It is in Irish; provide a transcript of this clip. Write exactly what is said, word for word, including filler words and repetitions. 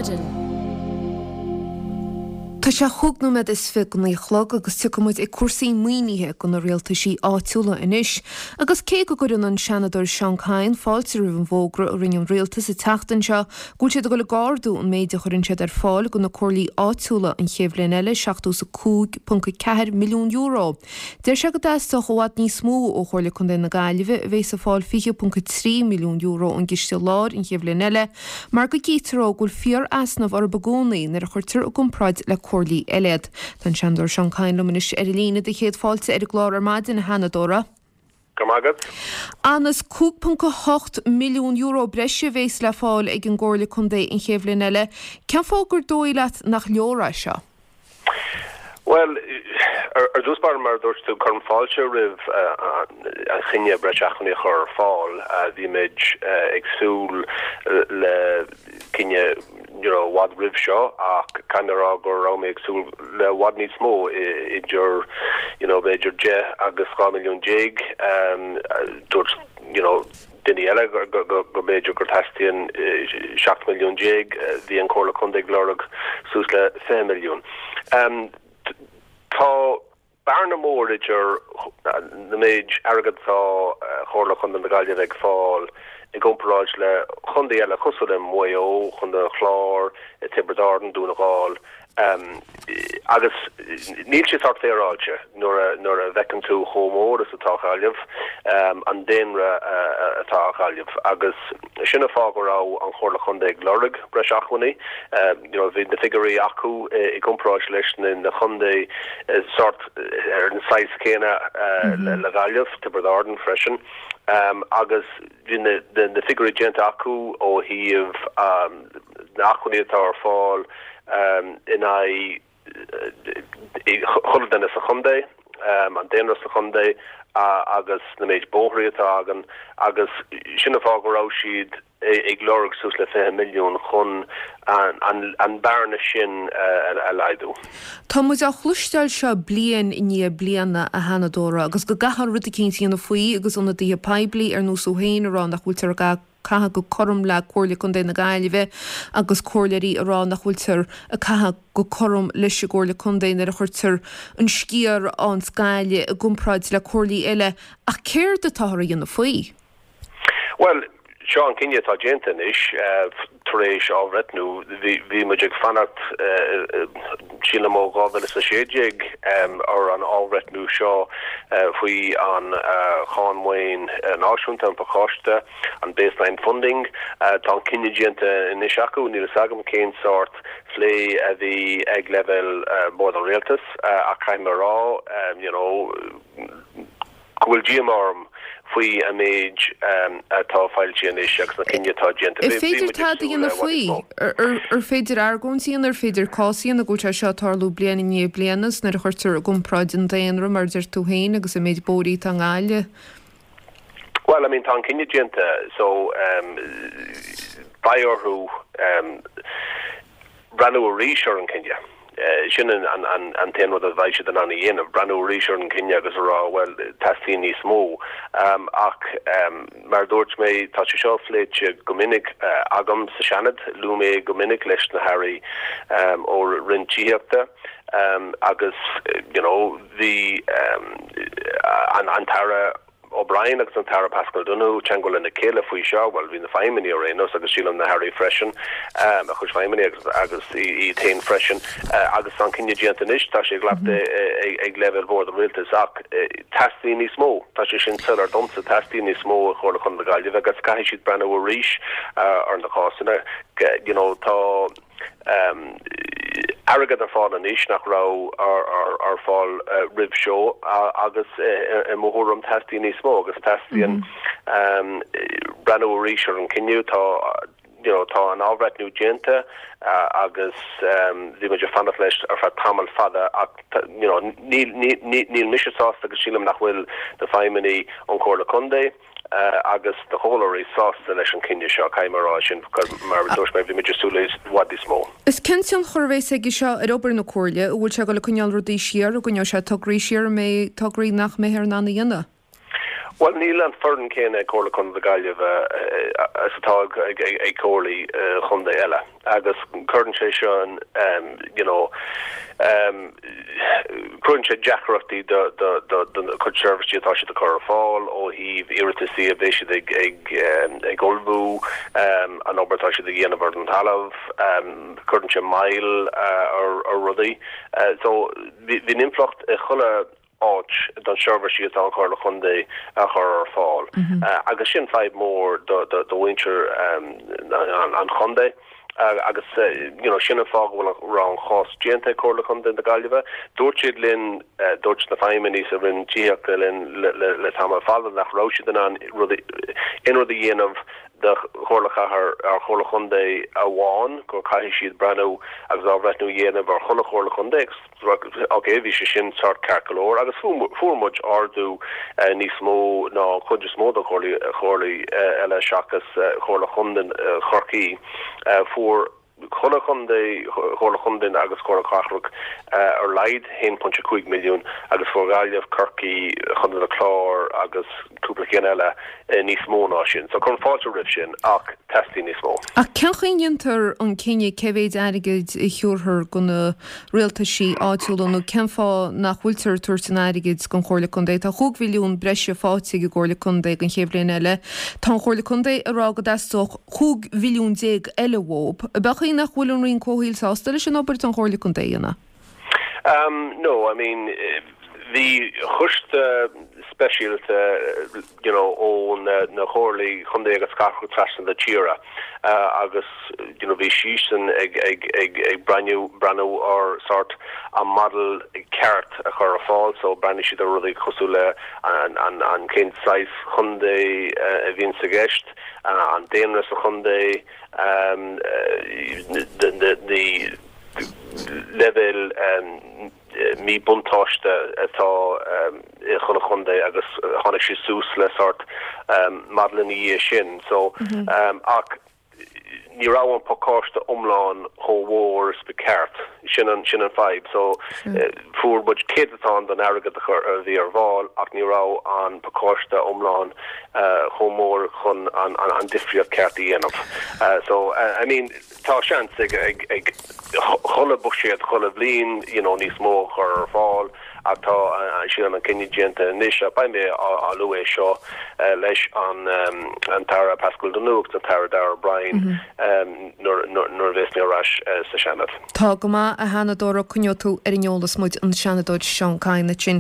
maidin. Tá sé chúig nóiméad is fiche go naoi a chlog agus tiocfaidh muid ag cúrsaí maoinithe do na rialtaisí áitiúla anois. Agus cé go gcuireann an Seanadóir Seán Kyne fáilte roimh an bhfógra a rinne an rialtas an tseachtain seo go bhfuil siad ag dul ag ardú an méid a chuireann siad ar fáil do na comhairlí áitiúla an chéad bhliain eile, seachtó is a cúig ponc a ceathair milliún euro. Deir sé go dteastódh i bhfad níos mó ó Chomhairle Contae na Gaillimhe a bheas ag fáil fiche ponc a trí milliún euro ón gCiste Láir an chéad bhliain eile mar go gcítear dó go bhfuil fíor-easnamh orthu i gcónaí nuair a chuirtear i gcomparáid le comhairlí eile iad. Tá an Seanadóir Seán Kyne liom anois ar an líne do chéad fáilte ar an gclár ar maidin, a Sheanadóra. Go raibh maith agat. Anois cúig ponc a hocht milliún euro breise a bheas le fáil ag an gComhairle Contae an chéad bhliain eile. Cén fáth gur dóigh leat nach leor é seo? Bhuel, ar dtús báire, mar a dúirt tú, cuirim fáilte roimh an chinneadh breis acmhainní a chur ar fáil. Bhí muid ag súil le cinneadh you know, i bhfad roimh seo ach caithfidh mé a rá go raibh mé ag súil le i bhfad níos mó, idir you know, b'fhéidir deich agus dhá milliún déag. Dúirt you know, duine eile go b'fhéidir gur teastaíonn seacht milliún déag, bhí an Chomhairle Contae ag lorg suas le fiche milliún. Tá bearna mór idir na méid airgead atá Comhairle Chontae na Gaillimhe ag fáil i gcomparáid le chontae eile cosúil le Maigh Eo, Contae an Chláir, Tiobraid Árann, Dún na nGall. Agus níl sé sórt féaráilte nuair a nuair a bhfeiceann tú chomh mór is atá Gaillimh, an daonra atá ag Gaillimh. Agus sin an fáth go raibh an Chomhairle Chontae ag lorg breis acmhainní. You know, bhí na figiúirí acu i gcomparáid leis na na chontae sórt ar an saghas céanna le Gaillimh, Tiobraid Árann freisin. Agus bhí na na figiúirí déanta acu ó thaobh na acmhainní atá ar fáil in aghaidh chuile duine sa chontae, an daonra sa chontae agus na méid bóithrí atá againn agus sin an fáth go raibh siad ag lorg suas le fiche milliún chun an bearna sin a laghdú. Tá muid á chloisteáil seo bliain i ndiaidh bliana, a Sheanadóra, agus go gcaithfear rud eicínt a dhéanamh faoi agus ionadaithe poiblí ar nós thú féin ag rá nach bhfuiltear ag caitheamh go cothrom le Comhairle Contae na Gaillimhe agus comhairleoirí ag rá nach bhfuiltear ag caitheamh go cothrom leis an gComhairle Contae nuair a chuirtear an sciar ins Gaillimh i gcomparáid le comhairlí eile. Ach céard atáthar a dhéanamh faoi? Bhuel, seo an cinneadh atá déanta anois tar éis athbhreithniú. Bhí muid ag fanacht, sílim ó dhá mhíle is a sé déag, ar an athbhreithniú seo faoi an cháin maoin náisiúnta, an pacáiste, an baseline funding. Tá an cinneadh déanta anois acu. Níl fhios agam cén sórt plé a bhí ag leibhéal Bhord an Rialtais ach caithfidh mé a rá, you know, go bhfuil díomá orm faoi an méid atá foilsithe anois agus na cinntí atá déanta. Ar féidir tada a dhéanamh faoi? Ar féidir argóint a dhéanamh? Ar féidir cás a dhéanamh go bhfuil sé seo ag tarlú bliain i ndiaidh bliana is nuair a chuirtear i gcomparáid an daonra, mar a deir tú féin, agus an méid bóithrí atá i nGaillimh? Bhuel, I mean, tá an cinneadh déanta so beidh orthu breathnú arís ar an chinneadh. Sin an t-aon rud a bheidh siad in ann a dhéanamh, breathnú arís ar an chinneadh agus a rá, bhuel, teastaíonn níos mó. Ach mar a dúirt mé, tá sé seo pléite go minic agam sa Seanad, luaigh mé go minic leis na hairí ó Roinn Tithíochta agus you know, bhí an tAire O'Brien agus an tAire Paschal Donohoe teagmháil lena chéile faoi seo, bhuel, bhí na feidhmeannaigh ar aon nós agus sílim na hairí freisin, a chuid feidhmeannaigh agus agus iad féin freisin, agus tá an cinneadh déanta anois, tá sé glactha ag leibhéal Bhord an Rialtais ach teastaíonn níos mó, tá sé sin soiléir domsa, teastaíonn níos mó ó Chomhairle Chontae na Gaillimhe agus caithfidh siad breathnú arís ar na cásanna, you know, tá. airgead ar fáil anois nach raibh ar fáil roimh seo agus i mo thuairim teastaíonn níos mó agus teastaíonn breathnú arís ar an cinneadh. Tá you know tá an athbhreithniú déanta agus bhí muid ag fanacht leis ar feadh tamall fada ach you know níl níl mise sásta agus sílim nach bhfuil na feidhmeannaigh ón Chomhairle Contae agus na comhairleoirí sásta leis an cinneadh seo, caithfidh mé a rá sin, mar a dúirt mé, bhí muid ag súil le i bhfad níos mó. Is cén tionchar a bheas aige seo ar obair na Comhairle? An bhfuil sé ag dul ag coinneáil rudaí siar, an gcoinneoidh sé tograí siar, an mbeidh tograí nach mbeifear in ann a dhéanamh? Bhuel níl an foireann céanna ag Comhairle Contae na Gaillimhe is atá ag ag comhairlí chontae eile agus cuireann sé seo um, you know, um, cuireann sé deacrachtaí do do do do chuid seirbhísí atá siad a chur ar fáil ó thaobh iarrataisí a bheidh siad ag ag um, ag ullmhú um, an obair atá siad ag dhéanamh ar an talamh um, cuireann sé moill uh, ar ar rudaí. Uh, so bhí impleacht i chuile áit don seirbhísí atá an Chomhairle Chontae a chur ar fáil. Mm -hmm. uh, agus sin fadhb mór do do do mhuintir um, an, an chontae. Uh, agus uh, you know, sin an fáth go raibh an chás déanta Comhairle Chontae na Gaillimhe. Dúirt siad linn uh, dúirt na feidhmeannaigh sa Roinn Tithíochta linn le, le, le tamall fada nach raibh siad in ann aon rud a dhéanamh do Chomhairle Chathair ar Chomhairle Chontae amháin go caithfidh siad breathnú agus athbhreithniú a dhéanamh ar chuile Chomhairle Chontae ok bhí sé sin sort ceart go leor agus fuair muid ardú uh, níos mó ná chuid is mó de chomhairlí uh, eile seachas uh, Chomhairle Chontae uh, Chorcaí uh, fuair chuile chontae Chomhairle Chontae agus Comhairle Cathrach uh, ar laghad haon pointe cúig milliún agus fuair Gaillimh Corcaigh Contae an Chláir agus cúpla ceann eile uh, níos mó ná sin. So cuirim fáilte roimh sin ach teastaíonn níos mó. Ach cén chaoi a ndéantar an cinneadh cé mhéid airgid a thabharfar do na rialtaisí áitiúla nó cén fáth nach bhfuiltear ag tabhairt an airgid don Chomhairle Contae Tá chúig mhilliún breise faighte ag an gComhairle Contae don chéad bhliain eile. Tá an Chomhairle Contae ag rá go dteastódh cúig mhilliún déag eile uathu. Ab é nach bhfuil an Roinn Comhshaoil sásta leis an obair an Chomhairle Contae a dhéanamh? Um, no, I mean bhí coiste speisialta you know, ó na, na comhairlí chontae agus cathrach trasna na tíre uh, agus you know, bhí siadsan ag ag ag ag breathnú breathnú ar sort an model ceart a chur ar fáil so bhreathnaigh siad ar rudaí cosúil le an an an cén saghas chontae uh, a bhíonn i gceist uh, an daonra sa chontae um, uh, the, the, the level um, míbhuntáiste atá um, i chuile chontae agus tháinig sé suas le sort um, model í sin so mm -hmm. um, ach ní raibh an pacáiste iomlán chomh mór is ba cheart sin an sin an fadhb so uh, fuair muid céatadán den airgead a bhí ar fáil ach ní raibh an pacáiste iomlán uh, chomh mór chun an, an, an difríocht ceart a dhéanamh uh, so uh, I mean tá seans ag ag ag chuile buiséad chuile bhliain you know, níos mó chur ar fáil ach tá sin an cinneadh déanta anois a beidh mé á lua seo leis an um, an tAire Paschal Donohoe an tAire Darragh O'Brien mm -hmm. um, nuair a bheas mé ar ais uh, sa Seanad. Tá go maith a Sheanadóra coinneoidh tú ar an eolas muid an Seanadóir Seán Kyne sin.